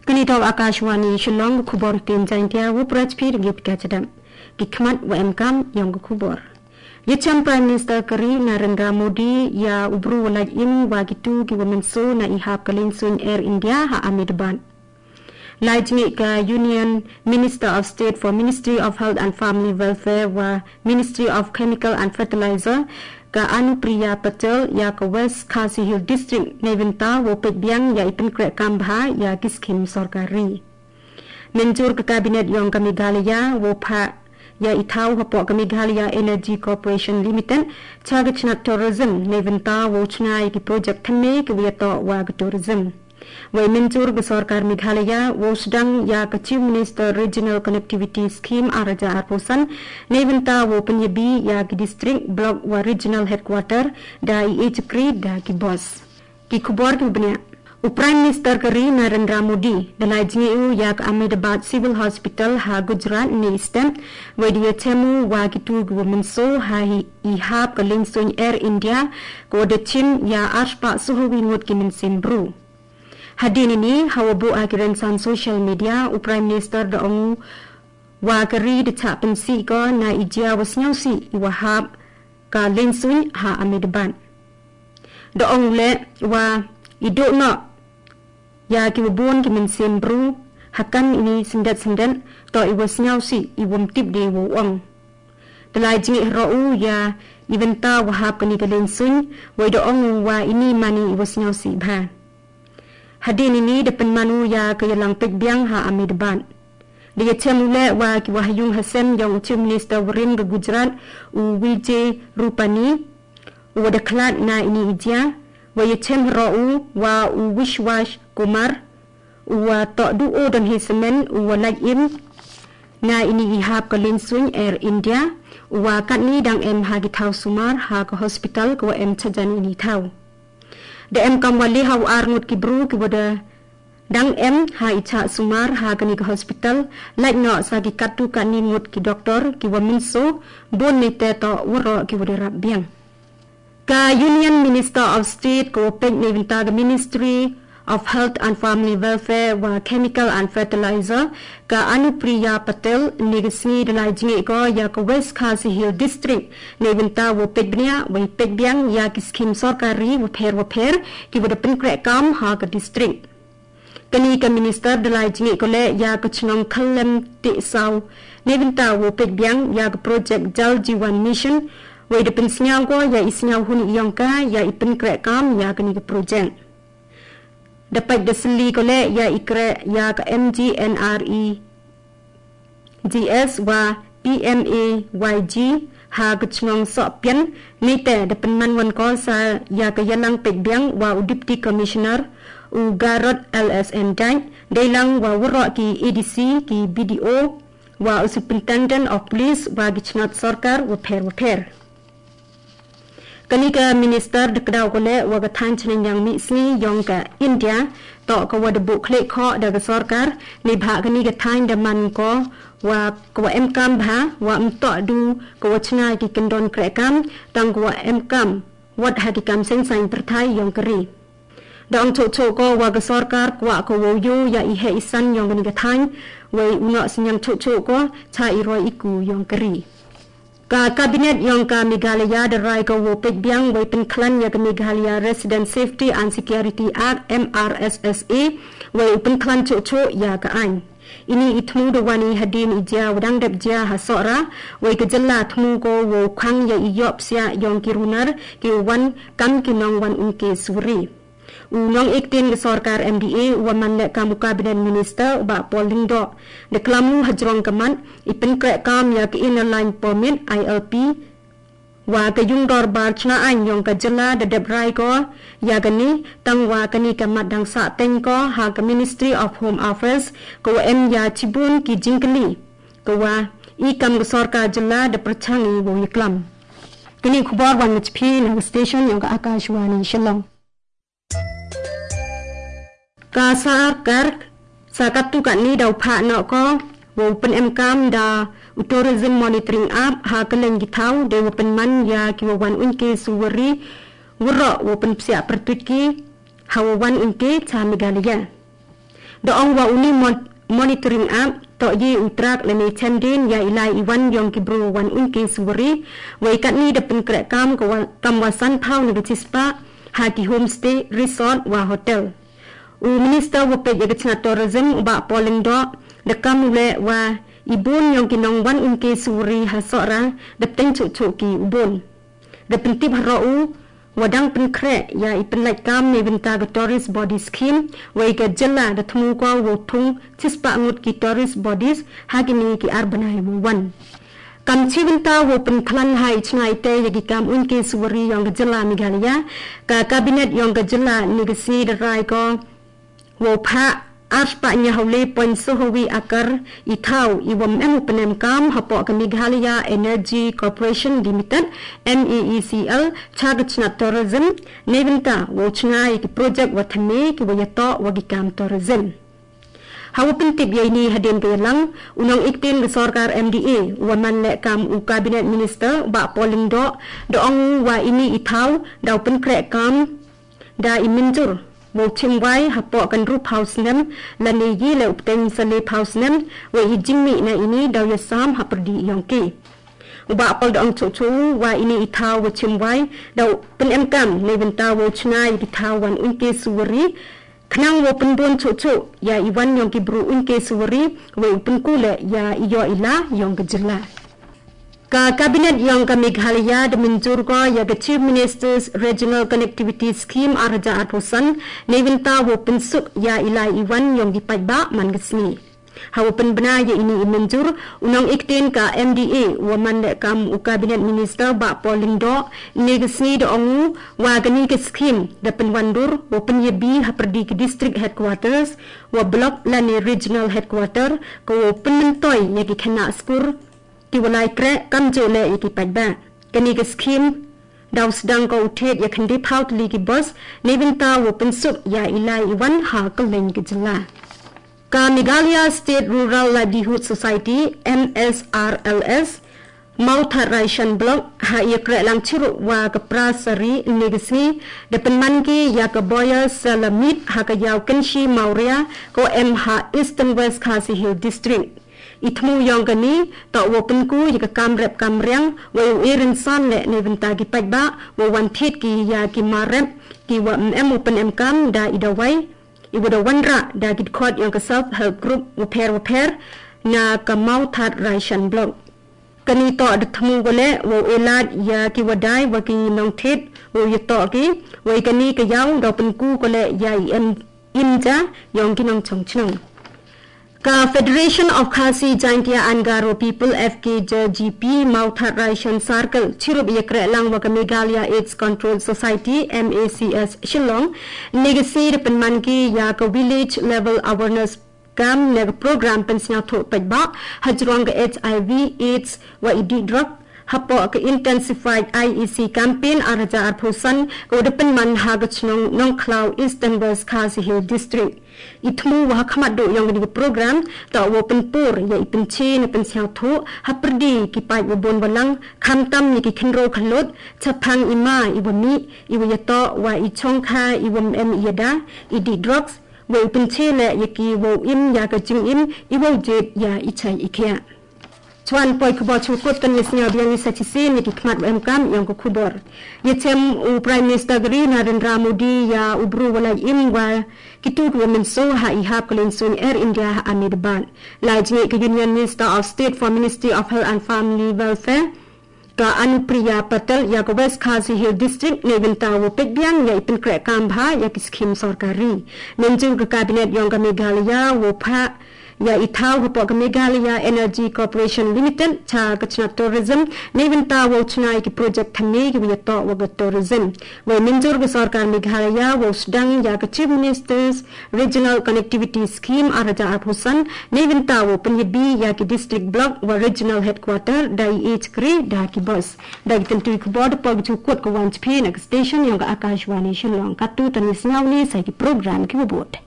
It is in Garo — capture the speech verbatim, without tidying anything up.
Kani tok Akashvani Shillong, khubor tin Jaintia, wo prachpir git kachadam. Gikmat wa emkam yong khubor. Yacham Prime Minister kari Narendra Modi ya ubru walaj im wa gitu ki wa menso na ihap ka lensuin Air India ha Ahmedabad. Lai jingik ka Union Minister of State for Ministry of Health and Family Welfare wa Ministry of Chemical and Fertilizer ka Anupriya Patel ya ka West Khasi Hills District nevinta wo pet biang ya ipen krek kam bha ya ki skim sorkari. Menjur ka Cabinet yong ka Meghalaya wo pha ya i thau hapoh ka Meghalaya Energy Corporation Limited, cha ka chnat tourism, nevinta wo chna ya ki project thamme ki wiya to wa ka tourism. Wei menjur ka sorkar Meghalaya wo sedang ya ka Chief Minister Regional Connectivity Scheme araja arposan, nevinta wo penyebi ya ki district, block wa regional headquarter, da i e chakri da ki boss. Ki khubor ki bniah. U Prime Minister kari Narendra Modi, dalai jingeu ya ka Ahmedabad Civil Hospital ha Gujarat ni stem, wei dia chemu wa ki tu gu menso ha hi i hap ka lensuin Air India, ko da chim ya arshpa suho wi ngut ki mensin bru. Hadin ini, hawa bu a ki rensan social media, u Prime Minister da ongu wa kari da cha pensi ko na i jia wa snyau si i wa hap ka lensuin ha Ahmedabad. Da ong le wa i do no ya ki wa bun ki mensin bru hakan ini sendet sendet to i wa snyau si i wa mtip de wa ong. Dalai jingik hero u ya i venta wa hap ka ni ka lensuin, wa i da ong wa ini mani i wa snyau si bha. Hadin ini da penmanu ya ka yalang pek biang ha Ahmedabad. Da ya chem u le wa ki wa hayung hasem yong u Chief Minister warim ka Gujarat u Vijay Rupani, u wa da khlad na ini i jia, wa ya chem hero u wa u Vishwas Kumar, u wa to du o don hi semen, u wa laj im na ini i hap ka lensuin Air India, u wa katni dang em ha ki thau sumar ha ka hospital ka wa em chajan ini thau. Da em kam wa le ha u ar ngut ki bru ki wa da dang em ha i cha sumar ha ka ni ka hospital, laj no sa ki katu katni ngut ki doctor ki wa minso, bon ni te to wa ro ki wa da rap biang. Ka Union Minister of State ka wa pek ni venta ka Ministry of Health and Family Welfare wa Chemical and Fertilizer, ka Anupriya Patel ni ka sngi dalai jingik ko ya ka West Khasi Hills District ni venta wa pek bnia, wa i pek biang ya ki skim sorkari wa pher wa pher ki wa da penkrek kam ha ka district. Kani ka Minister dalai jingik ko le ya ka chnong Khalem Tisau ni venta wa pek biang ya ka project Jal Jeevan Mission, wa i da pensnyau ko ya i snyau hun i yong ka ya i penkrek kam ya kani ka project. Da pek da seli ko le ya i krek ya ka M G N R E G S wa P M A Y G ha ka chnong Sohpian, ni te da penman wan ko sa ya ka yalang pek biang wa u Deputy Commissioner u Garod L S N Dai, dailang wa wa ro ki A D C ki B D O wa u Superintendent of Police wa ki chnat sorkar wa pher wa pher. Kani ka Minister da kdaw ko le wa ka than chneng yang mi sngi yong ka India, to ka wa da bu khlek kho da ka sorkar, ni bha kani ka than da man ko wa ka wa em kam bha, wa em to du ka wa chna ki kendon krek kam, tang ka wa em kam, wat ha ki kam seng sain perthai yong ka ri. Da ong cho cho ko wa ka sorkar, kwa ka wa u yo ya i he i san yong kani ka than, wa i u no sinyang cho cho ko, cha i roi i ku yong ka ri. Ka Cabinet yong ka Meghalaya da rai ko wo pek biang wei penkhlan ya ka Meghalaya Resident Safety and Security Act, M R S S A, wei u penkhlan cho cho ya ka ain. Ini i thmu da wani hadin i jia wa dang dep jia ha Sohra, wei ka jylla thmu ko wo khang ya i yop sia yong ki runar ki wan kam ki nong wan un ke suri. U nong ektin ka sorkar M D A u wa man le kam u Cabinet Minister u Bah Paul Lyngdoh, da klam u hajrong ka mat, i penkrek kam ya ka Inner Line Permit, I L P, wa ka yung dorbar chna ain yong ka jylla da dep rai ko ya kani, tang wa kani ka mat dang sa teng ko ha ka Ministry of Home Affairs, ka wa em ya chibun ki jingkli, ka wa i kam ka sorkar jylla da perchang i wa ya klam. Kani khubor wan machpi na ka station yong ka Akashvani Shillong. Ka sorkar sa katu katni dau pha no ko, wa u pen em kam da u Tourism Monitoring App ha ka leng ki thau, de wa pen man ya ki wa wan un ke suwari, wa ro wa pen psiak pertuit ki, hawa wan unke cha Meghalaya. Da ong wa uni mon-, monitoring app, to ye utrak lene chenden ya ilai iwan yong ki bru wan unke suwari, wa ikat ni da penkrek kam ka wa-, kam wasan pau ni chispa, ha ki homestay, resort, wa hotel. U Minister wa pet ya ka chna tourism, u ba Paul Lyngdoh, da kam ule wa ibun yong ki nong wan unke suwari ha sora, da pteng chuk chuk ki ubun. Da pentip haro u, wa dang penkre, ya i penlait kam ne benta ka tourist body scheme, wa i ka jylla da thmu ko wa thung, chispa ngut ki tourist bodies, ha ki ni ki ar banai wa wan. Kam chi benta wa penklan ha i chna ite ya ki kam unke suwari yong ka jylla Meghalaya, ka cabinet yong ka jylla ni ka si da rai ko, Wo pha, ar pa nya hole point so hawi akar i thau i wom em u penem kam hapo ka Meghalaya Energy Corporation Limited, M E E C L, cha ka chna tourism, ne benta wo chna i ki project wa thame ki wa yato wa ki kam tourism. Hawa pentip ya ini hadin ka yalang, unong iktin ka sorkar M D A, wa man le kam u cabinet minister, ba Paul Lyngdoh, da ong wa ini i thau, da u penkre kam, Da i minjur, wo chimwai hapo kan ru phausnem, lane ye le upteng sale phausnem, wo i jingmi na ini dau ya sam haperdi yongke. Uba apol da ong cho cho, wa ini i thau wo chimwai, dau pen em kam, ne benta wo chna i thau wan unke suwari, khnang wo penbon cho cho, ya i wan yongke bru unke suwari, wo i penku le ya i yo ila yongke jylla. Ka Cabinet yong ka Meghalaya da minjur ko ya ka Chief Minister's Regional Connectivity Scheme ar hajar arphew san, ne bynta wo pynsuk ya ilai iwan yong ki paidbah man ka sngi. Hawa pynbna ya ini i minjur, u nongikten ka M D A wa man le kam u Cabinet Minister Bah Paul Lyngdoh, ne ka sngi da ong u, wa kani ka scheme da pynwandur, wa pynyabi ha pyrdi ki district headquarters, wa block lane regional headquarter, ka wa pynmyntoi ya ki khynnah skur, ki wa lai kreh kamjooh leh ya ki paidbah. Kani ka scheme, daw sdang ka u thied ya khyndai phaw tylli ki bus, ne bynta wa pynsuk ya ilai iwan ha kylleng ki jylla. Ka Meghalaya State Rural Livelihood Society, M S R L S, Mawthadraishan Block, ha ya kreh lang chirup wa ka pra sari ne ka sngi, da pynman ki ya ka Boyer Seller Meet, ha ka yaw Kynshi Mawria, ka wa em ha Eastern West Khasi Hills District. I thmu yong kani, toh wa pynku ya ka kam rep kam riang, wa u i rynsan leh ne bynta ki paidbah, wa wan thied ki ya ki mar rep, ki wa em em u pynem kam da i dawai, i wa da wanrah da ki dkhot yong ka self help group wa pher wa pher, na ka Mawthadraishan Block. Kani toh da thmu ko leh, wa u i lad ya ki wa dai, wa ki nongthied, wa u ya toh ki, wa i kani ka yaw, da pynku ko leh, ya i em Inja yong ki nongchong chnong. Ka Federation of Khasi Jaintia and Garo People, F K J G P, Mawthadraishan Circle, chirup ya kreh lang wa ka Meghalaya AIDS Control Society, M A C S, Shillong, ne ka sngi da pynman ki ya ka village level awareness kam ne ka program pynsngewthuh paidbah, hajrong ka H I V, AIDS, wa i dih drug, hapoh ka Intensified I E C Campaign ar hajar arphew san, ka wa da pynman ha ka chnong Nongkhlaw Eastern West Khasi Hills District. I thmu wa ha khmat duh yong kani ka program, toh wa pynpur ya i pynche ne pynsngewthuh, ha pyrdi ki paid wa bun wa lang, khamtam ya ki khynraw khyllood, chaphang i ma i wa mih, i wa ya toh, wa i chongkha, i wa em i ya da, i dih drugs, wa i pynche leh ya ki wa u im ya ka jingim, i wa u jied ya i chai i khiah. Chuan poi khubor chukut kan ni sñiaw biang ni sa chisien ni ki khmat wa em kam yong ko khubor. Ya chem u Prime Minister gari Narendra Modi ya u bru wa lai im wa ki tu wa min so ha i hap ka len sun Air India ha Ahmedabad. Lai jngi ka Union Minister of State for Ministry of Health and Family Welfare ka Anupriya Patel ya ka West Khasi Hills District ne bynta wa pek biang ya i pynkreh kam bha ya ki scheme sorkari. Mynjur ka Cabinet yong ka Meghalaya wa pha Ya i thaw hapoh ka Meghalaya Energy Corporation Limited, cha ka chna tourism, ne bynta wow chna ya ki project thymme ki wa ya toh wa ka tourism. Wei mynjur ka sorkar Meghalaya wow sdang ya ka Chief Minister's Regional Connectivity Scheme ar hajar arphew san, ne bynta wow pynyabi ya ki district block wa regional headquarter da i e chakri da ki bus. Da ki tyntu i khubor da poi ka chukut ka wan chphe na ka station yong ka Akashvani Shillong. Katu tani sngaw ni sa ki program ki wa bud.